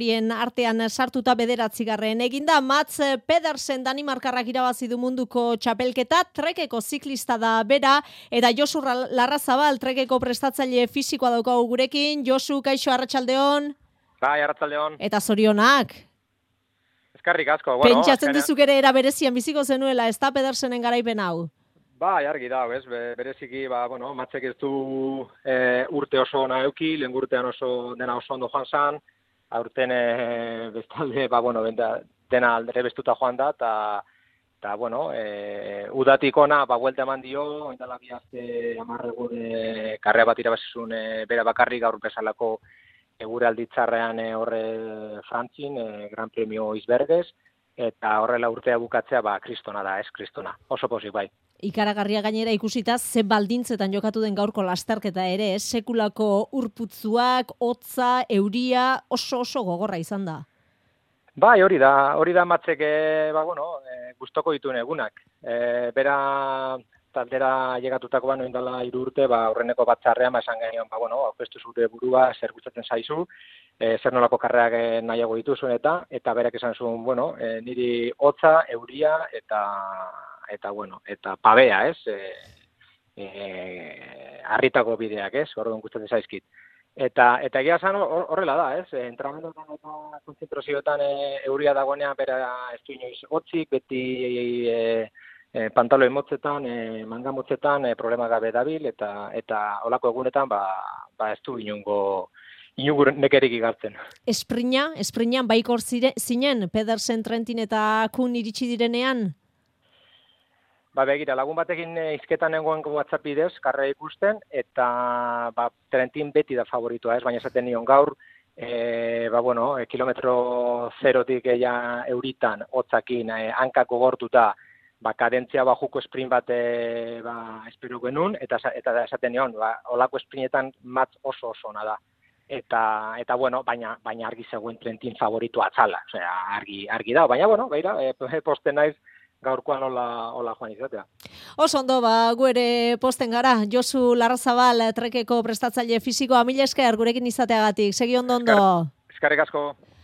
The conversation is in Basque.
Bien artean sartuta 9. eginda, Mats Pedersen Danimarkarrak irabazi du munduko txapelketa, trekeko ziklista da bera, eta Josu Larrazabal trekeko prestatzaile fisikoa daukagu gurekin. Josu, kaixo, arratsaldeon. Bai, arratsaldeon. Eta zorionak. Eskarrik asko. Bueno, pentsatzen dizuk ere era berezian biziko zenuela, ez da Pedersenen garaipen hau? Bai, argi da, ez, bereziki, Matsek ez du urte oso ona eduki, lehen urtean dena oso ondo joan zan, aurten bestalde, dena aldere bestuta joan da, eta udatik ona, buelta eman dio, oindala bi aste 10 egun karrea bat irabazizun bera bakarrik gaur bezalako gure alditzarrean horre Frantzin, Gran Premio Isbergez, eta horrela urtea bukatzea, kristona da, ez kristona, oso pozik bai. Ikaragarria gainera ikusita ze baldintzetan jokatu den gaurko lasterketa ere, sekulako urputzuak, hotza, euria, oso gogorra izan da. Bai, hori da Matsek, gustoko dituen egunak. Bera taldera llegatutako noindala 3 urte, horreneko batzarrean esan genion, aurkeztu zure burua, zer gustatzen zaizu, zer nolako karreak nahiago dituzuen eta berak esan zuen, niri hotza, euria eta pabea, ez? Harritako bideak, ez? Orduan gustatzen zaizkit. Eta egia esan horrela da, ez? Entrenamenduetan eta konzentrazioetan euria dagoenean bera ez du inoiz hotzik, beti pantaloi motzetan, manga motzetan problema gabe dabil eta holako egunetan ez du inungo nekerik igartzen. Esprinan baikor zinen Pedersen, Trentin eta Kuhn iritsi direnean? Begira, lagun batekin izketan nengoen WhatsApp bidez, karrea ikusten, eta Trentin beti da favoritoa, ez? Baina esaten nion gaur, kilometro zerotik euritan, hotzakin, hankako gortuta, kadentzia bajuko sprint bat espero genuen, eta esaten nion, olako sprintetan Mats oso ona da. Baina argi zegoen Trentin favoritoa atzala, argi da, baina, posten naiz, gaurkoan hola joan izatea. Oso ondo, gu ere posten gara. Josu Larrazabal, trekeko prestatzaile fisikoa, mila esker gurekin izateagatik. Segi ondo. Eskerrik asko.